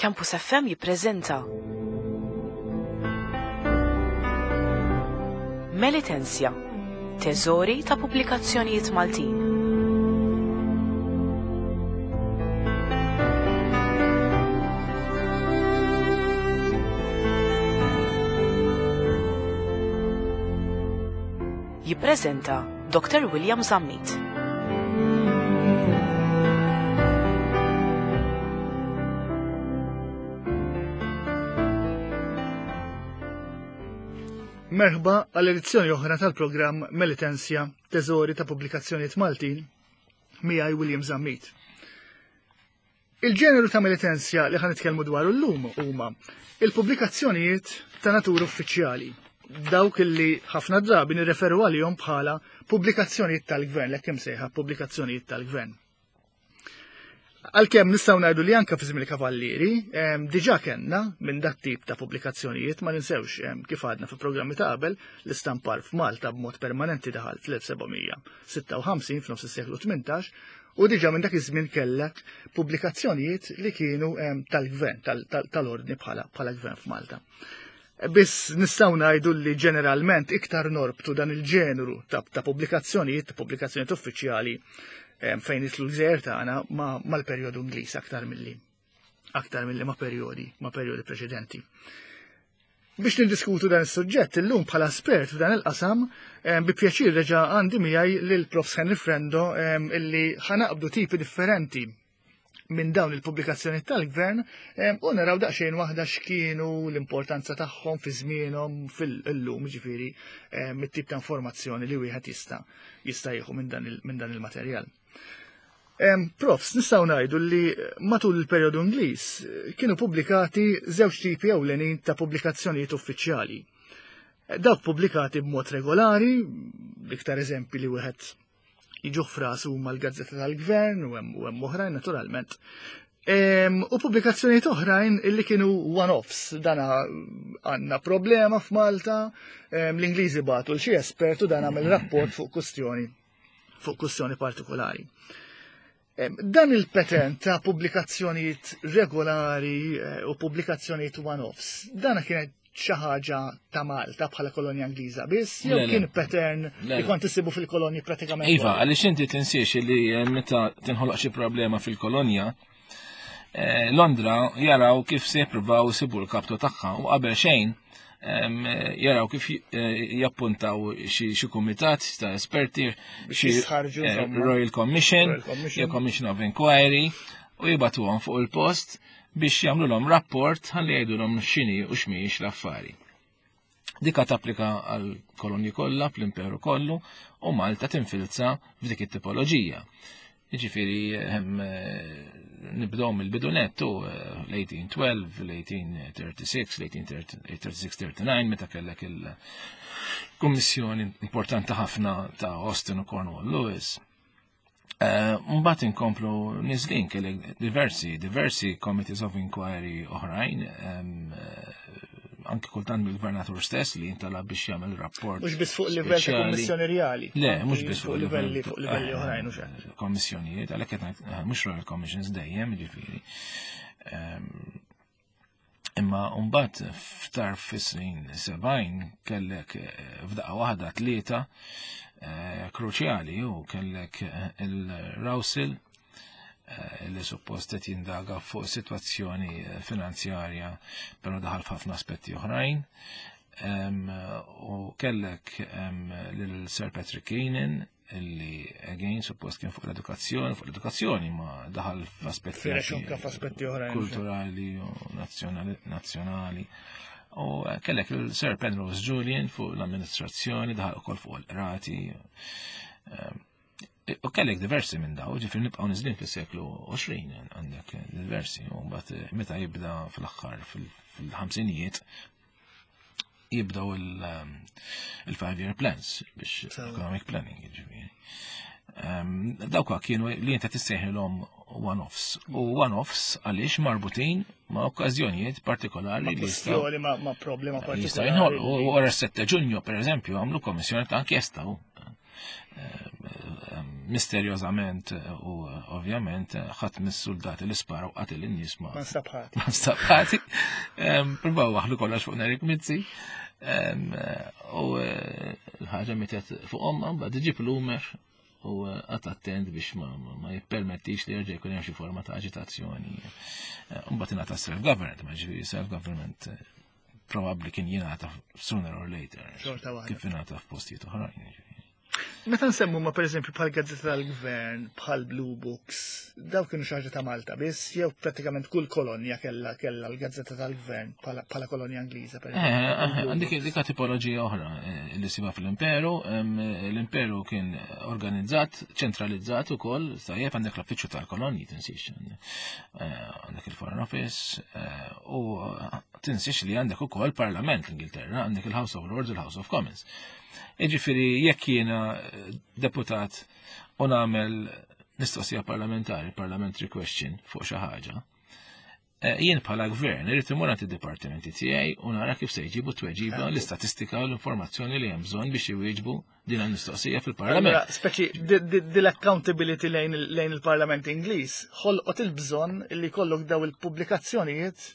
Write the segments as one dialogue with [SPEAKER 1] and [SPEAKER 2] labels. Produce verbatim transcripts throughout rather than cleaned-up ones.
[SPEAKER 1] Campus F M jippreżenta Melitensia, teżori ta' pubblikazzjonijiet Maltin. Jippreżenta Doctor William Zammit.
[SPEAKER 2] Merħba għall edizzjoni oħra tal-programm Melitensia, teżori ta' pubblikazzjonijiet Maltin, miegħi William Zammit. Il-ġeneru ta' Melitensia li ħa nitkellmu dwaru llum huma il-pubblikazzjonijiet ta' natura uffiċjali, dawk li ħafna drabi nirreferu għalihom bħala pubblikazzjonijiet tal-gvern, l-hekk imsejħa pubblikazzjonijiet tal-gvern. Għalkemm nistgħu ngħidu li anke fi żmien il-Kavallieri, em, diġà kellna minn dat tip ta' pubblikazzjonijiet, ma ninsewx, em, kif għadna fi programmi ta' qabel, l-istampar f'Malta b'mod permanenti daħal fl-elf sebgħamija sitta u ħamsin f'nofs is-seklu tmintax, u diġà minn dak iż-żmien kellek pubblikazzjonijiet li kienu, em, tal-gvern, tal-, tal-, tal-ordni bħala, bħala gvern f'Malta. Biss nistgħu ngħidu li ġeneralment iktar norbtu dan il-ġeneru ta', ta' pubblikazzjonijiet, ta' pubblikazzjonijiet uffiċjali, em, fejn jitlu l-gżejjer tagħna ma-, mal-perjodu Ingliż aktar milli, aktar milli ma' perjodi, ma' perjodi preċedenti. Biex niddiskutu dan is-suġġett illum bħala espert f'dan il-qasam, em, bi pjaċir reġa' għandi miegħi lil Profs Henry Frendo, em, illi ħanaqbdu tipi differenti minn dawn il-pubblikazzjoni tal-gvern, em, u naraw daqsxejn waħda x'kienu l-importanza tagħhom fi żmienhom fil-lum, ġifieri, em, it-tip ta' informazzjoni li wieħed jista' jista' jieħu minn dan il-, minn dan il-materjal. Em, Profs, nistgħu ngħidu li matul il-perjodu Ingliż kienu pubblikati żewġ tipi ewlenin ta' pubblikazzjonijiet uffiċjali. Dawk pubblikati b'mod regolari, l-iktar eżempji li wieħed jiġu f'rasu huma l-Gazzetta tal-Gvern u hemm, u hemm oħrajn naturalment. Em, u pubblikazzjonijiet oħrajn illi kienu one-offs, dana għandna problema f'Malta, em, l-Ingliżi bagħtu l xi espert u dan għamel rapport fuq kwestjoni, fuq kwestjoni partikolari. Em, dan il-pattern ta' pubblikazzjonijiet regolari, eh, u pubblikazzjonijiet one-offs, dana kienet xi ħaġa ta' Malta bħala kolonja Ingliża biss, jew
[SPEAKER 3] Le, le.
[SPEAKER 2] kien pattern
[SPEAKER 3] Le,
[SPEAKER 2] li
[SPEAKER 3] le.
[SPEAKER 2] kont issibu fil-kolonji pratikament
[SPEAKER 3] Iva,
[SPEAKER 2] kollha?
[SPEAKER 3] għaliex inti tinsiex li, eh, meta tinħoloq xi problema fil-kolonja, eh, Londra jaraw kif se jippruvaw isibu l-kaptu tagħha u qabel xejn, em, jaraw kif j-, eh, jappuntaw xi, xi kumitat ta' esperti,
[SPEAKER 2] Biex
[SPEAKER 3] xi,
[SPEAKER 2] jistħarrġu,
[SPEAKER 3] eh,
[SPEAKER 2] insomma.
[SPEAKER 3] Royal Commission,
[SPEAKER 2] Royal Commission.
[SPEAKER 3] jew Commission of Inquiry, u jibatuhom fuq il-post biex jagħmlulhom rapport ħalli jgħidulhom x'inhi u x'mhijiex l-affari. Dika tapplika għal kolonji kollha fl-imperu kollu u Malta tinfilza f'dik it-tipoloġija. Jiġifieri, hemm, eh, nibdew mill-bidu nettu, eh, l-eighteen twelve, l-eighteen thirty-six, l-eighteen thirty-six thirty-nine, meta kellek il-kummissjoni importanti ħafna ta' Austin u Cornwall Lewis. Eh, mbagħad inkomplu niżlin kellek diversi, diversi committees of inquiry oħrajn, ehm, eh, anki kultant mill-gvernatur stess li jintalab biex jagħmel rapport.
[SPEAKER 2] Mhux biss fuq livell ta'
[SPEAKER 3] speċjali.
[SPEAKER 2] kummissjoni reali.
[SPEAKER 3] Le,
[SPEAKER 2] Anki
[SPEAKER 3] mhux biss
[SPEAKER 2] fuq
[SPEAKER 3] fuq
[SPEAKER 2] livelli,
[SPEAKER 3] livell
[SPEAKER 2] fuq livelli
[SPEAKER 3] eh,
[SPEAKER 2] oħrajn u xejn.
[SPEAKER 3] Kommissjonijiet, għalhekk qed ngħid, eh, mhux Royal Commissions dejjem, jiġifieri. Ehm, imma mbagħad f'tarf fis-snin sebgħin kellek, eh, f'daqqa waħda tlieta, eh, kruċjali u kellek, eh, il-Rowsell, eh, li suppost qed jindaga fuq sitwazzjoni, eh, finanzjarja, però daħal f'ħafna aspetti oħrajn. Em, u kellek, em, lil Sir Patrick Keenan illi again suppost kien fuq l-edukazzjoni, fuq l-edukazzjoni ma daħal f'aspetti
[SPEAKER 2] Firex
[SPEAKER 3] anki
[SPEAKER 2] anke f'aspetti oħrajn,
[SPEAKER 3] kulturali u nazzjonali, nazzjonali. U, eh, kellek il-Sir Penrose Julian fuq l-amministrazzjoni, daħal ukoll fuq il-qrati. Em, u kellek diversi minn daw, ġifieri nibqgħu niżlin fis-seklu għoxrin għandek diversi, u mbagħad, eh, meta jibda fl-aħħar fil-, fil-ħamsinijiet jibdew il-, ehm, il-five-year plans biex
[SPEAKER 2] Sewa.
[SPEAKER 3] economic planning, ġifieri. Ehm, dawk kienu li inti tissejħilhom one-offs. U one-offs għaliex marbutin ma' okkażjonijiet partikolari
[SPEAKER 2] Ma'
[SPEAKER 3] li jistgħu
[SPEAKER 2] kwestjoni, ma', ma' problema
[SPEAKER 3] jistgħu
[SPEAKER 2] partikolari.
[SPEAKER 3] jinħolqu. U wara s-sette Ġunju, per eżempju, għamlu kommissjoni ta' inkjesta u, ehm, ehm, Misterjożament u ovvjament ħadd mis-soldati li sparaw qatel in-nies ma
[SPEAKER 2] Ma nstabħati.
[SPEAKER 3] Ma nstabħati. Provaw waħlu kollox fuq Nerik Mizzi. U l-ħaġa mietet fuq omma, mbagħad iġib Plumer u qagħad attent biex ma jippermettix li jerġa' jkun hemm xi forma ta' aġitazzjoni. Mbagħad ingħata self-government, ma ġifieri self-government probabbli kien jingħata sooner or later. Kif ingħata f'postijiet oħrajn.
[SPEAKER 2] Meta nsemmu ma pereżempju bħal gazzetta tal-gvern, bħal Blue Books, daw kienu xi ħaġa ta' Malta biss, jew prattikament kull kolonja kella kella l-gazzetta tal-gvern bħala kolonja Ingliża
[SPEAKER 3] per eh, Għandek dik tipoloġija oħra eh, li siba fl-Imperu, l-Imperu kien organizzat, ċentralizzat ukoll, tajjeb għandek l-uffiċċju tal-kolonji tinsix. Eh, għandek il-Foreign Office u tinsix li għandek ukoll Parlament l-Ingilterra, għandek il-House of Lords u l-House of Commons. Iġifieri jekk jiena deputat u nagħmel mistoqsija parlamentari, parliamentary question fuq xi ħaġa, eh, jien bħala gvern irid imur għand id-dipartimenti tiegħi u nara kif se jġibu tweġiba l-istatistika u l-informazzjoni li hemm bżonn biex iwieġbu din il-mistoqsija fil-Parlament.
[SPEAKER 2] Speċi dil-accountability lejn il-Parlament Ingliż ħolqot il-bżonn li kollok daw il-pubblikazzjonijiet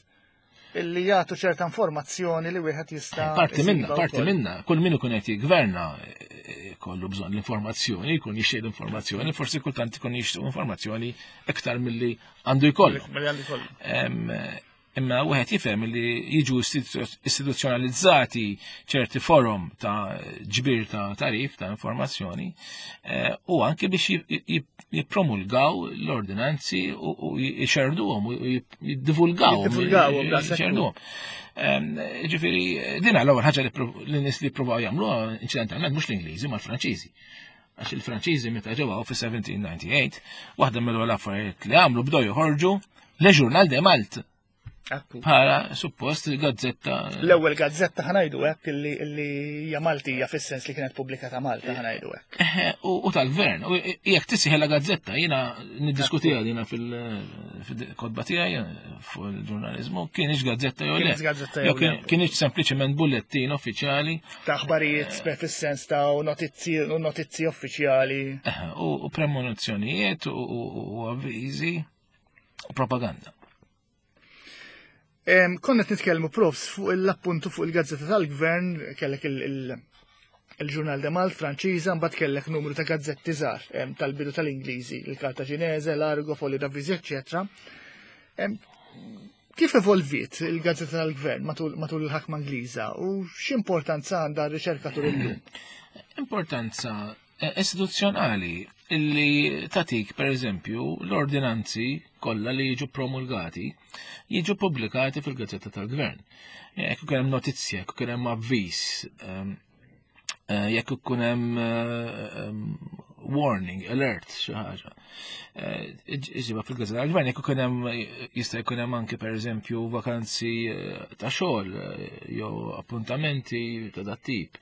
[SPEAKER 2] illi jagħtu ċerta informazzjoni li wieħed jista'
[SPEAKER 3] Parti minna, parti minna, kull min ikun qed jigverna eh, kollu bżonn l-informazzjoni, jkun jixtieq l-informazzjoni, forsi kultant ikun jixtieq informazzjoni iktar milli għandu jkollu.
[SPEAKER 2] Milli għandu jkollu.
[SPEAKER 3] Imma wieħed jifhem li jiġu istituzzjonalizzati ċerti forum ta' ġbir ta' tarif ta' informazzjoni eh, u anke biex jippromulgaw l-ordinanzi u jxerduhom u jiddivulgawhom.
[SPEAKER 2] Jiddivulgawhom,
[SPEAKER 3] jxerduhom. Ġifieri, din l-ewwel ħaġa li nies li ppruvaw jagħmluha inċidentalment mhux l-Ingliżi ma l-Franċiżi. Għax il-Franċiżi meta ġew fi elf seba' mija u disgħa u disgħin, waħda mill-ewwel affarijiet li għamlu bdew joħorġu Le Journal de Malte. Bħala suppost gazzetta.
[SPEAKER 2] L-ewwel gazzetta, ħa ngħidu hekk, illi illi hija Maltija fis-sens li kienet pubblikata Malta, ħa ngħidu hekk.
[SPEAKER 3] U tal-gvern. U jekk tissejjaħ gazzetta, jiena niddiskutiha dina fil-kotba tiegħi fuq il-ġurnaliżmu, kienx gazzetta jew le.
[SPEAKER 2] Jew
[SPEAKER 3] kienx sempliċement bullettin uffiċjali.
[SPEAKER 2] Ta' aħbarijiet fis-sens ta' notizzi u notizzi uffiċjali.
[SPEAKER 3] U premonizzjonijiet u avviżi u propaganda.
[SPEAKER 2] Konna nitkellmu, profs, fuq l-appuntu fuq il-gazzetta tal-gvern, kellek il-Journal de Malte Franċiża, mbagħad kellek numru ta' gazzetti żgħar tal-bidu tal-Ingliżi, il-Cartaginese, l-Argo, Folio d'Avvisi, eċċetera. Kif evolviet il-gazzetta tal-gvern matul il-ħakma Ingliża u x'importanza għandha r-riċerkatur illum?
[SPEAKER 3] Importanza eh, istituzzjonali illi tatik, per eżempju, l-ordinanzi kollha li jiġu promulgati jiġu pubblikati fil-gazzetta tal-gvern. Jekk ikun hemm notizzja, jekk ikun hemm avviż, ehm, eh, jekk ikun hemm ehm, warning, alert, xi ħaġa. Eh, iġiba fil-gazzetta tal-gvern, jekk ikun hemm, jista' jkun hemm anke pereżempju vakanzi eh, ta' xogħol jew appuntamenti ta' dat tip.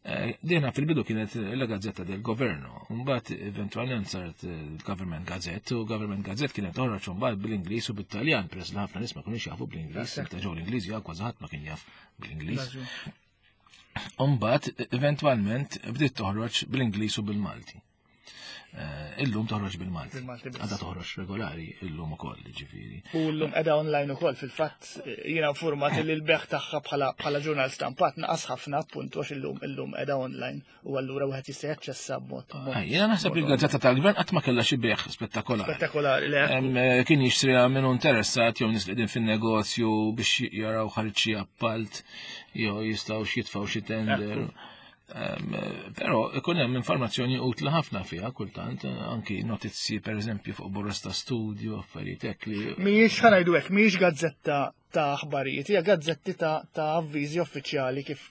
[SPEAKER 3] Eh, dina fil-bidu kienet la Gazzetta del Governo, mbagħad eventwalment saret il-Government Gazette, u Government Gazette kienet toħroġ mbagħad bil-Ingliż u bit-Taljan, peress li ħafna nies ma kinux jafu bl-Ingliż, meta ġew l-Ingliż jew kważi ħadd ma kien jaf bl-Ingliż. Mbagħad eventwalment bdiet toħroġ bil-Ingliż u bil-Malti. Eh, illum toħroġ bil-Malti. Għadha toħroġ regolari illum ukoll, ġifieri.
[SPEAKER 2] U llum qiegħda online ukoll. Fil-fatt jiena informat li l-beħ tagħha bħala bħala ġurnal stampat naqas ħafna, appuntu għax illum illum qiegħda online u allura wieħed jista' jaċċessa b'mod.
[SPEAKER 3] Jiena naħseb li l-gazzetta tal-gvern qatt ma kellha xi beħ spettakolari.
[SPEAKER 2] Spettakolari, le.
[SPEAKER 3] Eh, kien jixtriha minn interessat jew nies li fin-negozju biex jaraw ħareġ xi appalt jew jistgħu jitfgħu xi tender. Però ikun hemm informazzjoni utli ħafna fiha kultant, anki notizzi pereżempju fuq borroz ta' studju, affarijiet hekk li.
[SPEAKER 2] Mhijiex, ħa ngħidu hekk, mhijiex gazzetta ta' aħbarijiet, hija gazzetti ta' ta' avviżi uffiċjali kif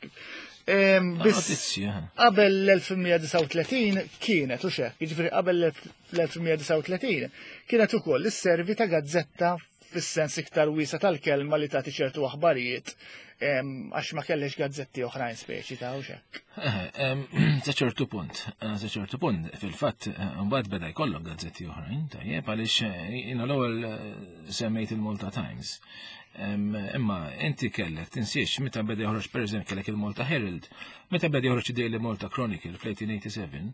[SPEAKER 3] Biss
[SPEAKER 2] qabel l-elf tmien mija disgħa u tletin kienet u xek, jiġifieri qabel l-elf tmien mija disgħa u tletin kienet ukoll is-servi ta' gazzetta fis-sens iktar wiesa tal-kelma li tagħti ċertu aħbarijiet. Għax ma kellix gazzetti oħrajn speċi ta' u xek.
[SPEAKER 3] Sa ċertu punt, sa ċertu punt, fil-fatt, mbagħad beda jkollok gazzetti oħrajn, tajjeb, għaliex jiena l-ewwel semmejt il-Malta Times. Imma inti kellek, tinsiex, meta beda joħroġ pereżempju kellek il-Malta Herald, meta beda joħroġ Daily Malta Chronicle fl-eighteen eighty-seven,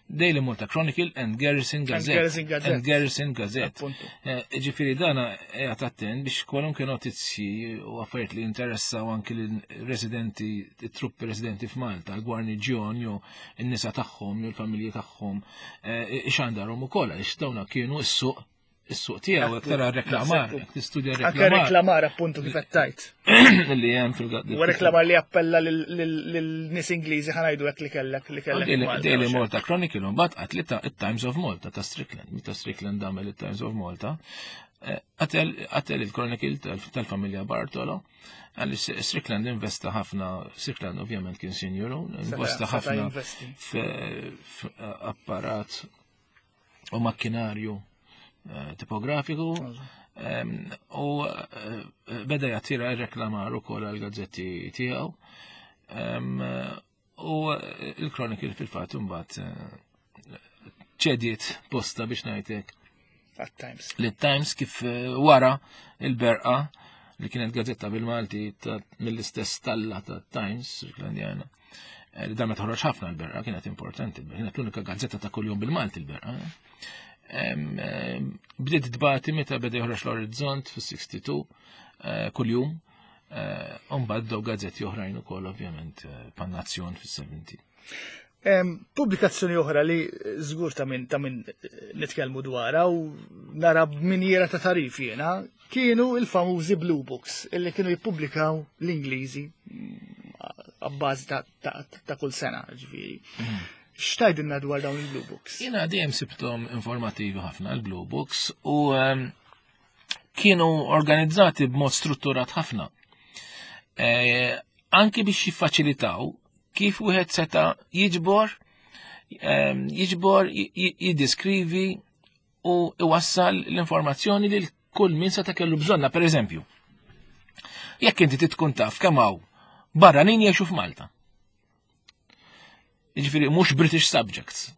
[SPEAKER 3] Daily Malta Chronicle and Garrison Gazette.
[SPEAKER 2] Garrison Gazette.
[SPEAKER 3] And Garrison Gazette. Ġifieri dana qiegħed attent biex kwalunkwe notizji u affarijiet li interessaw anki l-residenti, it-truppi residenti f'Malta, l-gwarniġjon jew in-nisa tagħhom jew l-familji tagħhom, ixandarhom ukoll għaliex dawna kienu s-suq is-suq tiegħu jekk tara reklamar, jekk tistudja
[SPEAKER 2] Anke
[SPEAKER 3] reklamar
[SPEAKER 2] reklamar, appuntu, kif qed tajt.
[SPEAKER 3] Li hemm fil
[SPEAKER 2] U reklamar li appella lil-nies Ingliżi, ħa ngħidu hekk, li kellek li kellek
[SPEAKER 3] Daily
[SPEAKER 2] Malta,
[SPEAKER 3] Daily
[SPEAKER 2] u xek.
[SPEAKER 3] Malta Chronicle mbagħad qatlitha it-Times of Malta ta' Strickland. Meta Strickland għamel it-Times of Malta, eh, qatel qatel il-Chronicle tal- tal-familja Bartolo, għaliex Strickland investa ħafna. Strickland ovvjament kien sinjuru, investa
[SPEAKER 2] Seta'
[SPEAKER 3] ħafna
[SPEAKER 2] jinvesti.
[SPEAKER 3] f'apparat u makkinarju eh, tipografiku em, u eh, beda jattira reklamar ukoll għal-gazzetti tiegħu. Em, U il-Chronicle fil-fatt imbagħad eh, ċediet posta, biex ngħidlek,
[SPEAKER 2] Għat-Times.
[SPEAKER 3] li Times, kif eh, wara il-Berqa, li kienet gazzetta bil-Malti ta' mill-istess stalla ta' Times Stricklandjana. eh, Li damet toħroġ ħafna l-Berqa, kienet importanti, kienet l-unika gazzetta ta' kuljum bil-Malti l-Berqa. Em, em, Bdiet tbati meta beda joħroġ l-Orizzont fis-sixty-two eh, kuljum. Umbagħad bdew gazzetti oħrajn ukoll, ovvjament, eh, bħan-Nazzjon fis-seventy.
[SPEAKER 2] Em, Pubblikazzjoni oħra li żgur ta' min ta' min eh, nitkellmu dwarha u nara b'minjera ta' tarif jiena kienu il-famużi Blue Books illi kienu jippubblikaw l-Ingliżi mm, għabbażi ta', ta, ta' kull sena, ġifieri. X'tgħidilna dwar dawn il-Blue Books?
[SPEAKER 3] Jiena dejjem sibtom informativi ħafna l-Blue Books u em, kienu organizzati b'mod strutturat ħafna. E, anki biex jiffaċilitaw kif wieħed seta' jiġbor em, jiġbor j- j- jiddiskrivi u iwassal l-informazzjoni lil kull min seta' kellu bżonna. Per eżempju, jekk inti tkun taf kemm hawn barranin jgħixu f'Malta, jiġifieri mhux British subjects,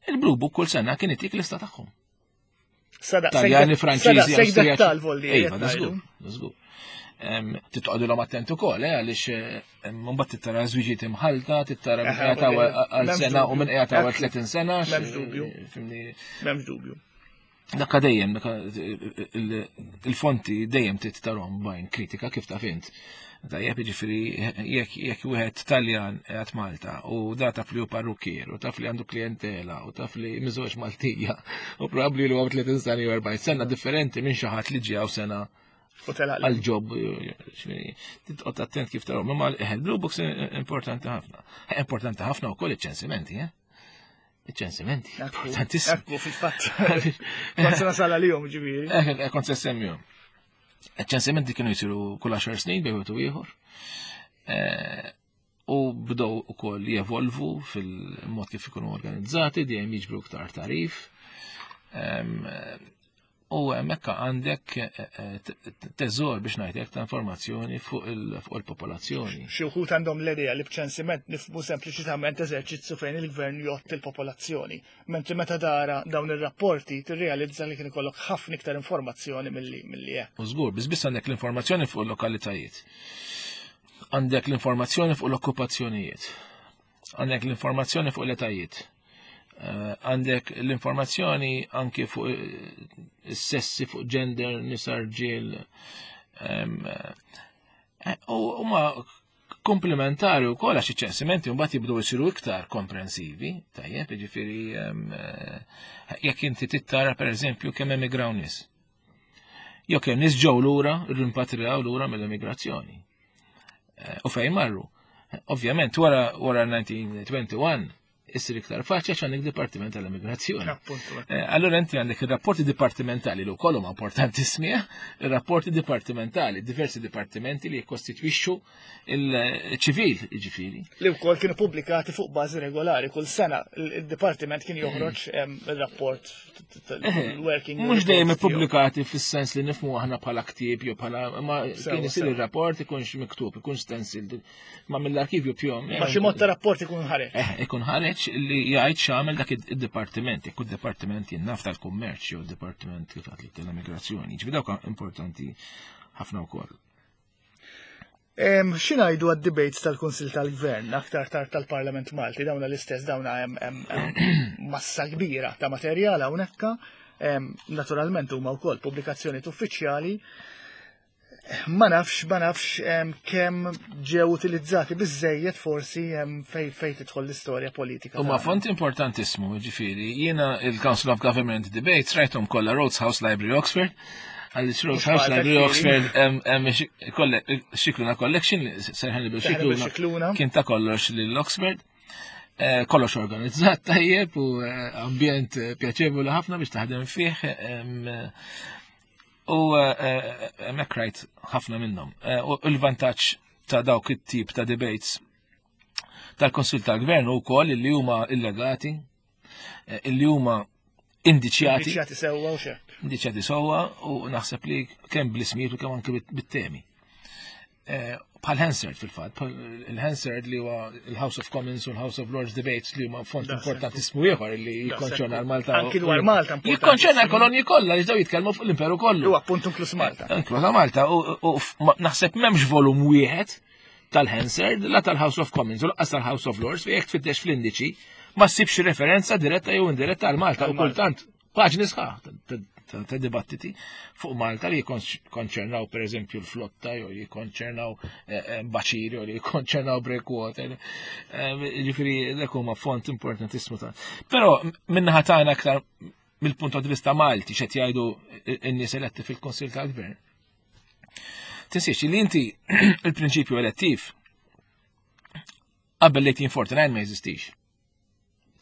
[SPEAKER 3] il-Blue Book kull sena kien itik lista tagħhom.
[SPEAKER 2] Sada,
[SPEAKER 3] Taljani, Franċiżi,
[SPEAKER 2] Sejk
[SPEAKER 3] Awstrijaċi.
[SPEAKER 2] dettal volli.
[SPEAKER 3] Iva, da żgur, da żgur. Em, Titqogħdilhom attent ukoll, eh, għaliex eh, mbagħad tittara żwiġiet imħalta, tittara min
[SPEAKER 2] Eħe,
[SPEAKER 3] qiegħed għal
[SPEAKER 2] m'hemmx
[SPEAKER 3] sena u
[SPEAKER 2] dubju.
[SPEAKER 3] min qiegħed għal
[SPEAKER 2] Ekku.
[SPEAKER 3] tletin sena.
[SPEAKER 2] M'hemmx dubju.
[SPEAKER 3] Fhimni,
[SPEAKER 2] M'hemmx dubju.
[SPEAKER 3] dakka dejjem, dakka il- il-fonti dejjem tittarhom b'għajn kritika, kif taf int. Tajjeb, jiġifieri jekk jekk wieħed Taljan qiegħed Malta u da taf li hu parrukkier u taf li għandu klientela u taf li miżewweġ Maltija u probabbli li huwa tletin sena jew erbgħin sena, differenti minn xi ħadd li ġie sena
[SPEAKER 2] U telaq.
[SPEAKER 3] għal job, titqgħod attent kif tarahom. Imma il-Blue Books importanti ħafna. Importanti ħafna wkoll iċ-ċensimenti, eh? Iċ-ċensimenti.
[SPEAKER 2] Ekku,
[SPEAKER 3] Importantissimi.
[SPEAKER 2] ekku, fil-fatt. Kont se nasal għalihom, ġifieri.
[SPEAKER 3] Eh, kont se semmihom. Iċ-ċensimenti kienu jisiru kull għaxar snin bejn wieħed u ieħor. Eh, U bdew ukoll jevolvu fil-mod kif ikunu organizzati, dejjem jiġbru iktar tarif. Em, U hemmhekk għandek eh, eh, teżor, biex ngħidlek, ta' informazzjoni fuq il- fuq il-popolazzjoni.
[SPEAKER 2] Xi wħud għandhom l-idea li b'ċensiment nifhmu sempliċitament eżerċizzju fejn il-gvern jgħodd il-popolazzjoni. Mentri meta tara dawn ir-rapporti tirrealizza li kien ikollok ħafna iktar informazzjoni milli milli hekk.
[SPEAKER 3] U żgur, biss biss għandek l-informazzjoni fuq il-lokalitajiet. Għandek l-informazzjoni fuq l-okkupazzjonijiet. Għandek l-informazzjoni fuq l-etajiet. Eh, Għandek l-informazzjoni anki fuq eh, is-sessi, fuq gender, nisa, rġiel. Em, eh, U huma komplementari u koll għax iċ-ċensimenti mbagħad jibdew isiru iktar komprensivi, tajjeb, jiġifieri em, eh, jekk inti tittara, pereżempju, kemm emigraw nies, jew kemm nies ġew lura, rimpatrijaw lura mill-immigrazzjoni. Eh, U fejn marru? Ovvjament, wara wara elf disa' mija u wieħed u għoxrin issir iktar faċli għax għandek Dipartiment tal-Immigrazzjoni. Eh, allura inti għandek ir-rapporti dipartimentali li wkoll huma importantissimi, ir-rapporti dipartimentali, diversi dipartimenti li jikkostitwixxu il-ċivil, jiġifieri.
[SPEAKER 2] Li wkoll kienu pubblikati fuq bażi regolari, kull sena il-dipartiment kien joħroġ il-rapport working.
[SPEAKER 3] Mhux dejjem ippubblikati fis-sens li nifhmu aħna bħala ktieb jew bħala ma kien isir ir-rapport ikunx miktub, ikun stenciled, ma mill-arkivju pjom.
[SPEAKER 2] Ma xi mod ta' rapport ikun ħareġ.
[SPEAKER 3] Eh, ikun ħareġ li jgħid x'għamel dak id-dipartiment, jekk id-dipartiment jinnaf tal-kummerċ jew id-dipartiment kif għedtlek tal-immigrazzjoni. Ġifieri dawk importanti ħafna wkoll.
[SPEAKER 2] X'ingħidu għad-debates tal-Kunsil tal-Gvern, aktar tard tal-Parlament Malti, dawna l-istess, dawna hemm massa kbira ta' materjal hawnhekk, naturalment huma wkoll pubblikazzjonijiet uffiċjali. Ma nafx, ma nafx kemm ġew utilizzati biżejjed forsi fej fej tidħol l-istorja politika.
[SPEAKER 3] Huma font importantissimu, ġifieri, jiena il-Council of Government Debates rajthom kollha Rhodes House Library Oxford, għaliex Rhodes House Library Oxford Scicluna Collection, Sir Hannibal Scicluna, kien ta' kollox lil Oxford. Eh, kollox organizzat tajjeb u eh, ambjent pjaċevoli ħafna biex taħdem fih. U hemmhekk rajt ħafna minnhom. U l-vantaġġ ta' dawk it-tip ta' debates tal-Konsil tal-Gvern u wkoll li huma illegati, illi huma indiċjati.
[SPEAKER 2] Indiċjati sewwa u xek.
[SPEAKER 3] Indiċjati sewwa u naħseb li kemm bl-ismijiet u kemm anke bit-temi. Bħal Hansard fil-fatt, il-Hansard li huwa il-House of Commons u l-House of Lords debates li huma font importantissimu ieħor li jikkonċerna l-Malta.
[SPEAKER 2] Anki dwar Malta.
[SPEAKER 3] Jikkonċerna l-kolonji kollha li ġew jitkellmu fuq l-imperu kollu.
[SPEAKER 2] U appunt inkluż Malta.
[SPEAKER 3] Inkluż Malta u naħseb m'hemmx volum wieħed tal-Hansard, la tal-House of Commons u lanqas tal-House of Lords fejn jekk tfittex fl-indiċi ma ssibx referenza diretta jew indiretta għal Malta u kultant paġni sħaħ ta' dibattiti fuq Malta li jikkonċernaw per eżempju l-flotta jew jikkonċernaw baċiri jew li jikkonċernaw breakwater. Ġifieri dak huma font importantissimu ta'. Però min-naħa tagħna aktar mill-punt di vista Malti x'qed jgħidu n-nies eletti fil-Kunsill tal-Gvern. Tinsiex li inti il-prinċipju elettiv qabel l-eighteen forty-nine ma jeżistix.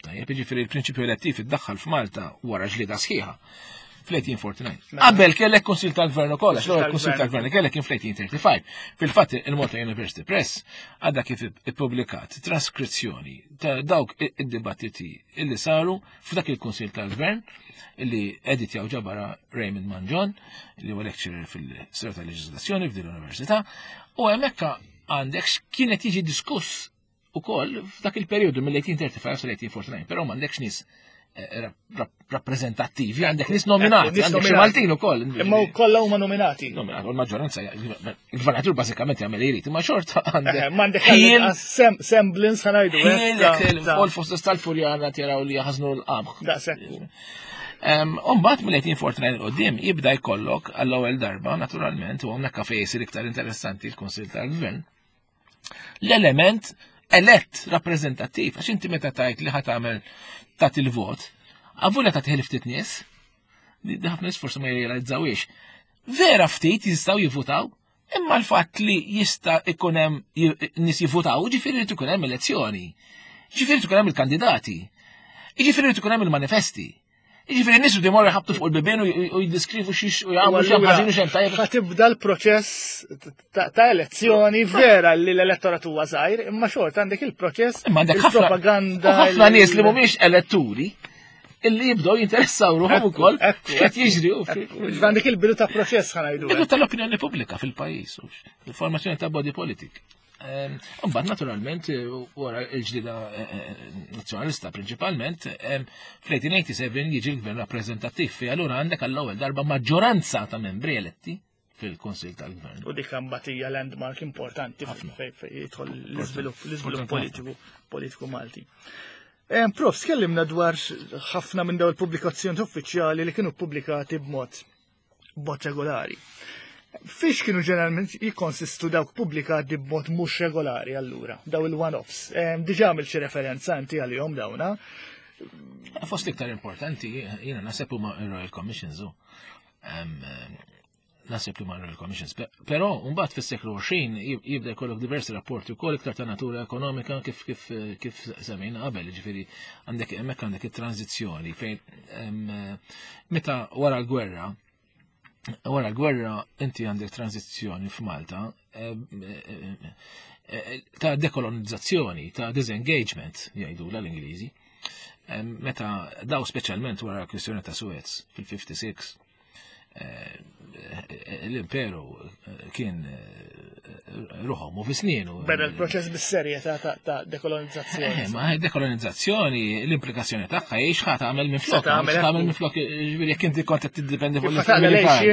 [SPEAKER 3] Tajjeb, jiġifieri il-prinċipju elettiv iddaħħal f'Malta wara ġlieda sħiħa fl-eighteen forty-nine. Qabel kellek Kunsil tal-Gvern ukoll, għax l-ewwel Kunsil tal-Gvern kellek kien fl-eighteen thirty-five. Fil-fatt il-Malta University Press għadha kif ippubblikat traskrizzjoni ta' dawk id-dibattiti illi saru f'dak il-Kunsil tal-Gvern illi editjaw ġabara Raymond Mangion, li huwa lecturer fil-Storja tal-Leġiżlazzjoni f'din l-Università, u hemmhekk għandek x'kienet jiġi diskuss ukoll f'dak il-perjodu mill-eighteen thirty-five sal-eighteen forty-nine, però m'għandekx nies eh, rappreżentattivi, għandek nies nominati, għandek xi Maltin ukoll.
[SPEAKER 2] Imma kollha huma nominati.
[SPEAKER 3] Nominati, u l-maġġoranza, il-gvernatur bażikament jagħmel jrid, imma xorta
[SPEAKER 2] għandek. M'għandek semblance ħa ngħidu.
[SPEAKER 3] Ħil fost tal-Furjana tiraw li jaħżnu l-qamħ.
[SPEAKER 2] Daqshekk.
[SPEAKER 3] Umbagħad mill-eighteen forty-nine qudiem jibda jkollok għall-ewwel darba, naturalment, u hawnhekk fejn isir iktar interessanti l-Kunsill tal-Gvern, l-element elett rappreżentattiv, għax inti meta tajt li ħa tagħmel tagħti il-vot, għavulja tagħti ftit nies, li ħafna nies forsi ma jirrealizzawiex. Vera ftit jistgħu jivvutaw, imma l-fatt li jista' ikun hemm nies jivvutaw, ġifieri li ikun hemm elezzjoni. Ġifieri ikun hemm il-kandidati. Ġifieri ikun hemm il-manifesti. Ġifieri nies li morru ħabtu fuq il-bibien u jiddiskrivu xiex u jagħmlu xemm ħażin u xemm tajjeb.
[SPEAKER 2] Ħa tibda l-proċess ta' elezzjoni, vera li l-elettorat huwa żgħir, imma xorta għandek il-proċess
[SPEAKER 3] Imma għandek ħafna
[SPEAKER 2] propaganda.
[SPEAKER 3] ħafna nies li mhumiex eletturi illi jibdew jinteressaw ruħhom ukoll x'qed jiġri.
[SPEAKER 2] Għandek il-bidu ta' proċess, ħa ngħidu.
[SPEAKER 3] Bidu tal-opinjoni pubblika fil-pajjiż, il-formazzjoni ta' body politic. Mbagħad naturalment wara l-ġlida nazzjonalista prinċipalment fl-eighteen eighty-seven jiġi l-gvern rappreżentattiv fi allura għandek għall-ewwel darba maġġoranza ta' membri eletti fil-Kunsil tal-Gvern.
[SPEAKER 2] U dik mbagħad hija landmark importanti fejn jidħol l-iżvilupp l-iżvilupp politiku politiku Malti. Prof, tkellimna dwar ħafna minn dawn il-pubblikazzjoni uffiċjali li kienu pubblikati b'mod b'mod regolari. Fiex kienu ġeneralment jikkonsistu dawk pubblikati b'mod mhux regolari allura, daw il-one-offs? Diġà għamil xi referenza inti għalihom dawna.
[SPEAKER 3] Fost iktar importanti, jiena naħseb huma Royal Commissions u. Naħseb li ma' Royal Commissions. Però mbagħad fis-seklu għoxrin jibda jkollok diversi rapporti wkoll iktar ta' natura ekonomika kif kif kif semmejna qabel, ġifieri għandek hemmhekk għandek it-tranzizzjoni fejn meta wara l-gwerra wara l-gwerra inti għandek tranzizzjoni f'Malta ta' dekolonizzazzjoni, ta' disengagement, jgħidu l-Ingliżi. Meta daw speċjalment wara l-kwistjoni ta' Suez fil-ħamsa u ħamsin, l-imperu kien ruħom u fisnienu.
[SPEAKER 2] Beda l-proċess bis-serjetà ta' dekolonizzazzjoni.
[SPEAKER 3] Ma dekolonizzazzjoni, l-implikazzjoni tagħha hi x'ħa tagħmel minn flok. Tagħmel minn flok, ġifieri jekk inti kont qed tiddependi fuq l-militari.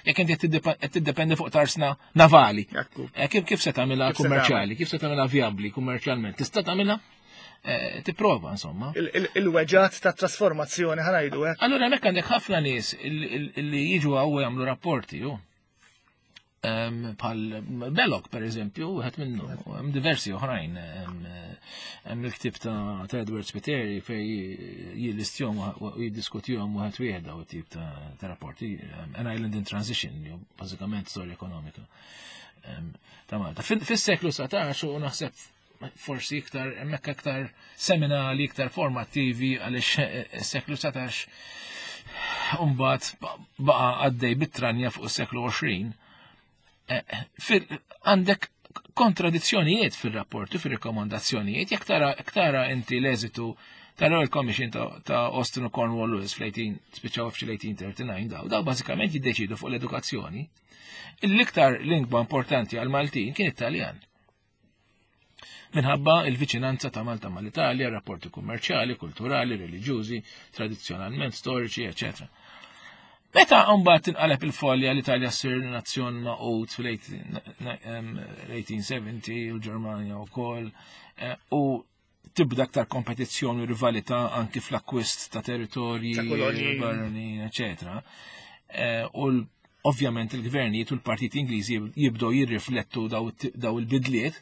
[SPEAKER 3] Jekk inti qed tiddependi fuq tarsna navali. Kif kif se tagħmilha kummerċjali, kif se tagħmilha vijabbli kummerċjalment? Tista' tagħmilha? Tipprova, insomma.
[SPEAKER 2] Il-weġgħat ta' trasformazzjoni, ħa ngħidu hekk.
[SPEAKER 3] Allura hemmhekk għandek ħafna nies li jiġu hawn jagħmlu rapporti, ju. Bħal Belloc, per eżempju, wieħed minnu, hemm diversi oħrajn. Hemm il-ktib ta' Edward Spiteri fej jillistjom u jiddiskutihom wieħed wieħed daw it-tip ta' rapporti. An Island in Transition, ju bażikament storja ekonomika ta' Malta. Fis-seklu dsatax u naħseb forsi iktar, hemmhekk iktar seminali, iktar formattivi, għaliex seklu dsatax mbagħad baqa' għaddej bit-tranja fuq is-seklu għoxrin. Għandek kontradizzjonijiet fil-rapporti, fil-rekomandazzjonijiet, jekk tara, tara inti l-eżitu ta' Royal Commission ta' Austin u Cornwall Lewis fl-eighteen, spiċċaw fl-eighteen thirty-nine, daw, daw bażikament jiddeċidu fuq l-edukazzjoni. L-iktar lingwa importanti għal-Maltin kien Italjan minħabba il-viċinanza ta' Malta mal-Italja, rapporti kummerċjali, kulturali, reliġjużi, tradizzjonalment storiċi, eccetera. Meta mbagħad tinqaleb il-folja, l-Italja ssir nazzjon magħqud fil-eighteen seventy u l-Ġermanja wkoll eh, u tibda aktar kompetizzjoni u rivalità anki fl-akkwist ta' territorji, barranin, eccetera. Eh, u ovvjament il-gvernijiet u l-partiti Ingliżi jibdew jirriflettu daw il-bidliet.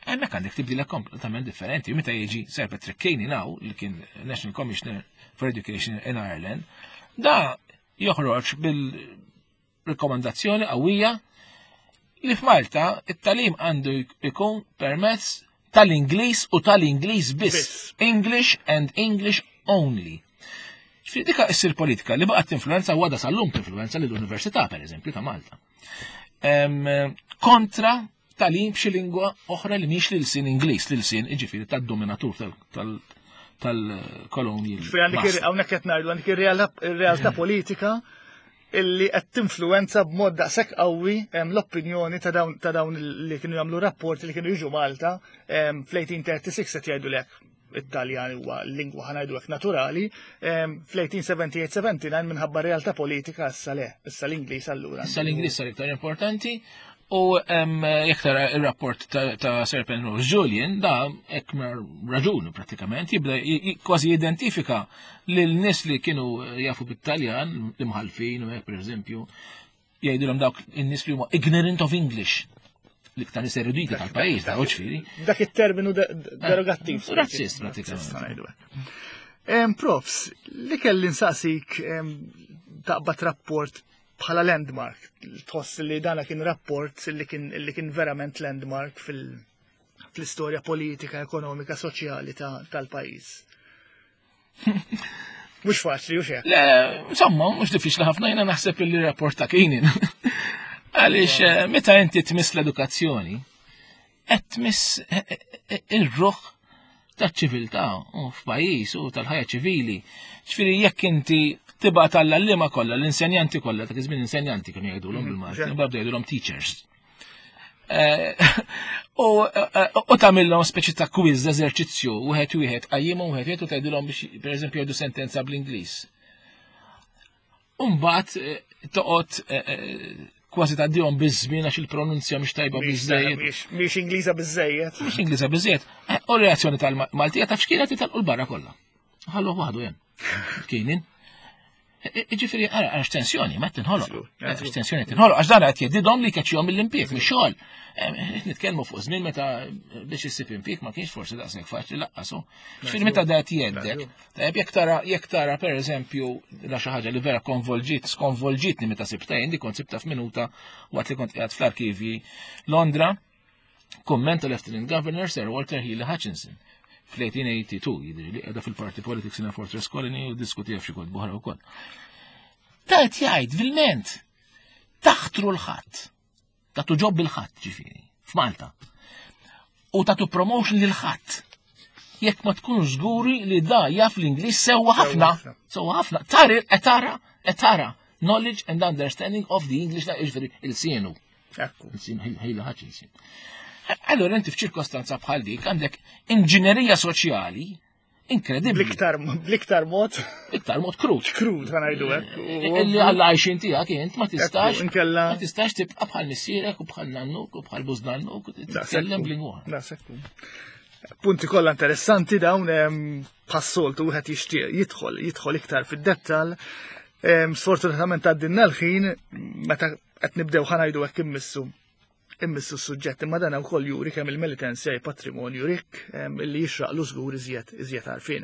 [SPEAKER 3] Hemmhekk għandek tibdila kompletament differenti. Meta jiġi Sir Patrick Keenan now, li kien National Commissioner for Education in Ireland, da joħroġ bil-rekomandazzjoni qawwija li f'Malta it-tagħlim għandu jkun permezz tal-Ingliż u tal-Ingliż biss. English and English only. Ġifieri dika issir politika li baqgħet tinfluenza u għadha sal-lum tinfluenza lill-Università, per eżempju, ta' Malta. Kontra tagħlim b'xi lingwa oħra li mhix l-ilsien Ingliż, l-ilsien jiġifieri tad-dominatur tal-kolonji.
[SPEAKER 2] Hawnhekk qed ngħidu għandek ir-realtà politika illi qed tinfluwenza b'mod daqshekk qawwi l-opinjoni ta' dawn li kienu jagħmlu rapporti li kienu jiġu Malta fl-eighteen thirty-six, qed jgħidu lek Italjan huwa l-lingwa, ħa ngħidu hekk, naturali, fl-eighteen seventy-eight seventy-nine minħabba realtà politika issa le, issa l-Ingliż allura.
[SPEAKER 3] Issa l-Ingliż sar iktar importanti. U jekk tara il-rapport ta' Sir Penrose Julian, da hekk raġuni pratikament, jibda kważi jidentifika lil nies li kienu jafu bit-Taljan, l-imħalfin u hekk, per eżempju, jgħidulhom dawk in-nies li huma ignorant of English, l-iktar nies eruditi tal-pajjiż, da ġifieri.
[SPEAKER 2] Dak it-terminu derogattiv.
[SPEAKER 3] Razzist pratikament.
[SPEAKER 2] Profs, li kelli nsaqsik, taqbad rapport bħala landmark, tħoss li dana kien rapport li kien li kien verament landmark fil-istorja politika, ekonomika, soċjali tal-pajjiż? Mhux faċli, u
[SPEAKER 3] Le, insomma, mhux diffiċli ħafna, jiena naħseb li rapport ta' Keenan. Għaliex eh, meta inti tmiss l-edukazzjoni, qed tmiss eh, eh, ir-ruħ taċ-ċiviltà u f'pajjiż u tal-ħajja ċivili. Ġifieri jekk inti tibgħat għall-għalliema kollha, l-insenjanti kollha, dak iż-żmien insenjanti kienu jgħidulhom mhm, bil-Malti, mbagħad jgħidulhom teachers. U tagħmilhom speċi ta' quiz, eżerċizzju, wieħed wieħed, qajjimhom wieħed wieħed u tgħidilhom biex, pereżempju, jgħidu sentenza bl-Ingliż. Umbagħad toqgħod kważi tgħaddihom biż-żmien għax il-pronunzja mhix tajba biżejjed.
[SPEAKER 2] Mhix Ingliża biżejjed.
[SPEAKER 3] Mhix Ingliża biżejjed. U reazzjoni tal-Maltija taf x'kienet? Italqu l-barra kollha. Ħallu waħdu hemm. Keenan. Ġifieri, ara, għax tensjoni, ma tinħoloq. Għax tensjoni tinħoloq, għax dan qed jgħidilhom li keċċihom mill-impjieg, mix-xogħol. Nitkellmu fuq żmien meta biex issib impjieg ma kienx forsi daqshekk faċli laqqasu. Ġifieri meta da qed jgħeddek, tajjeb jekk tara jekk tara pereżempju la xi ħaġa li vera konvolġit, skonvolġitni meta sibta jien, di kont sibta f'minuta waqt li kont qiegħed fl-arkivji Londra, kumment Lieutenant Governor Sir Walter Healy Hutchinson fl-eighteen eighty-two, jidri li qiegħda fil-Party Politics in a Fortress Colony u diskutija f'xi kotba oħra wkoll. Ta' qed jgħid vilment taħtru l-ħadd, tagħtu ġob bil-ħadd ġifieri f'Malta. U tagħtu promotion lil ħadd. Jekk ma tkunux żguri li da jaf l-Ingliż sewwa ħafna, sewwa ħafna, tara, tara, tara knowledge and understanding of the English, ġifieri il-sienu.
[SPEAKER 2] Ekku.
[SPEAKER 3] Il-sienu, Healy Hutchinson. Allora inti f'ċirkostanza bħal dik għandek inġinerija soċjali inkredibbli.
[SPEAKER 2] Bl-iktar, bl-iktar mod.
[SPEAKER 3] Bl-iktar mod krud.
[SPEAKER 2] Krud, ħa ngħidu hekk.
[SPEAKER 3] Illi għalla għajxin tiegħek int ma tistax,
[SPEAKER 2] Ekku, inkella
[SPEAKER 3] ma tistax tibqa' bħal missierek u bħal nannuk u bħal bużnannuk u titkellem b'lingwa.
[SPEAKER 2] Da, sekku. Punti kollha interessanti dawn, em, bħas-soltu wieħed jixtieq jidħol, jidħol iktar fid-dettall. Em, sfortunatament għaddinna l-ħin meta qed nibdew ħa ngħidu hekk immissu immissu s-suġġett, imma dan ukoll juri kemm il-Melitensia patrimonju rikk, em, illi jixraqlu żgur iżjed, iżjed għarfien.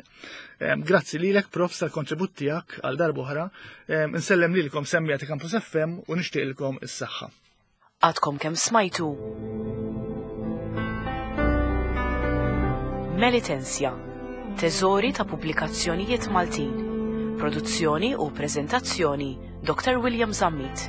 [SPEAKER 2] Em, grazzi lilek, Prof, tal-kontribut tiegħek għal darb'oħra. Em, insellem lilkom semmiegħa ta' Campus F M u nixtieqilkom is-saħħa.
[SPEAKER 1] Għadkom kemm smajtu Melitensia, teżori ta' pubblikazzjonijiet Maltin. Produzzjoni u preżentazzjoni Doctor William Zammit.